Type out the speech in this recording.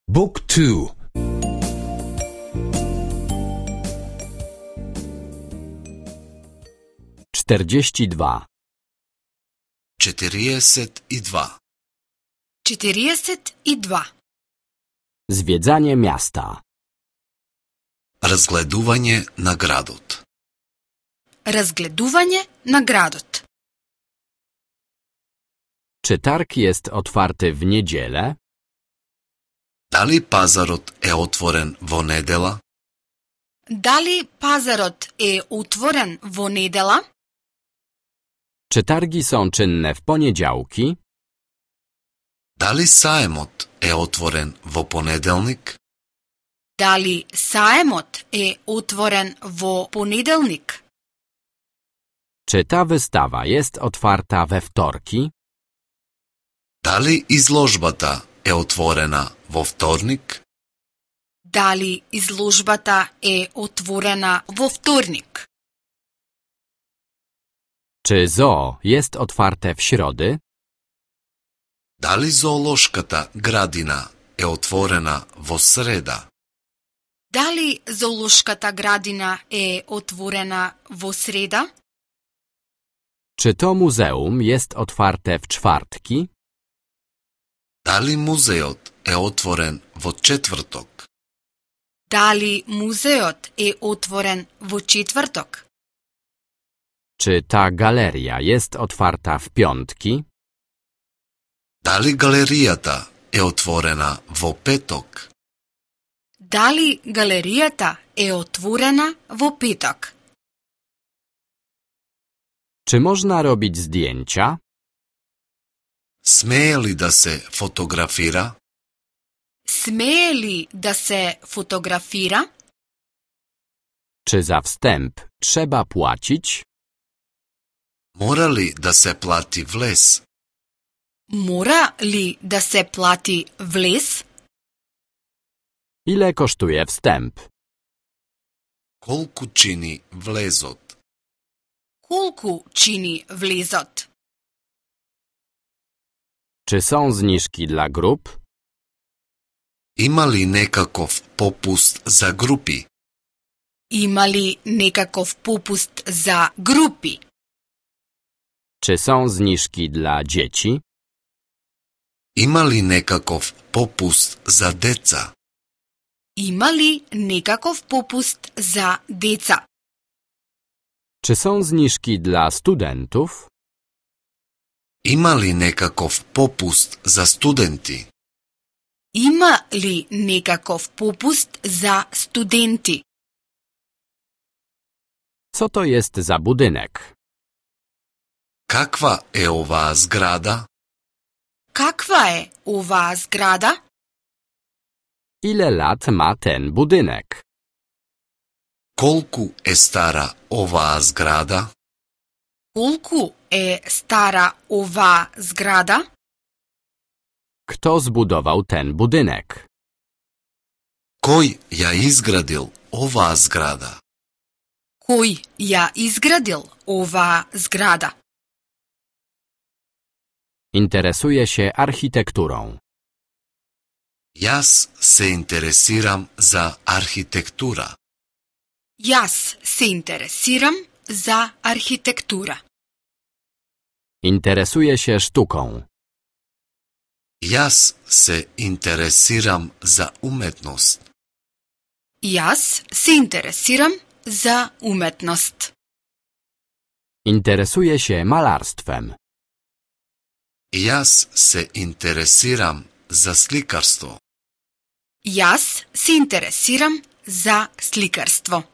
Book 2. 42. 42. 42. Zwiedzanie miasta. Разгледување на градот. Разгледување на градот. Czy targ jest otwarty w niedzielę? Дали пазарот е отворен во недела? Дали пазарот е отворен во недела? Czy targi są czynne w poniedziałki? Дали саемот е отворен во понеделник? Дали саемот е отворен во понеделник? Czy ta wystawa jest otwarta we wtorki? Дали изложбата е отворена во вторник? Дали изложбата е отворена во вторник? Czy zoo jest otwarte w środy? Дали зоолошката градина е отворена во среда? Дали зоолошката градина е отворена во среда? Czy to muzeum jest otwarte w czwartki? Дали музеот е отворен во четврток? Дали музеот е отворен во четврток? Czy ta galeria jest otwarta w piątki? Дали галеријата е отворена во петок? Дали галеријата е отворена во петок? Czy można robić zdjęcia? Смее ли да се фотографира? Смее ли да се фотографира? Czy za wstęp trzeba płacić? Мора ли да се плати влез? Мора ли да се плати влез? Ile kosztuje wstęp? Колку чини влезот? Колку чини влезот? Czy są zniżki dla grup? Има ли некаков попуст за групи? Има ли некаков попуст за групи? Czy są zniżki dla dzieci? Има ли некаков попуст за деца? Има ли некаков попуст за деца? Czy są zniżki dla studentów? Има ли некаков попуст за студенти? Има ли некаков попуст за студенти? Co to jest za budynek? Каква е оваа зграда? Каква е оваа зграда? Ile lat ma ten budynek? Колку е стара оваа зграда? Колку е стара оваа зграда? Kto zbudował ten budynek? Кој ја изградил оваа зграда? Кој ја изградил оваа зграда? Interesuje się architekturą. Јас се интересирам за архитектура. Јас се интересирам за архитектура. Interesuje się sztuką. Јас се интересирам за уметност. Јас се интересирам за уметност. Interesuje się malarstwem. Јас се интересирам за сликарство. Јас се интересирам за сликарство.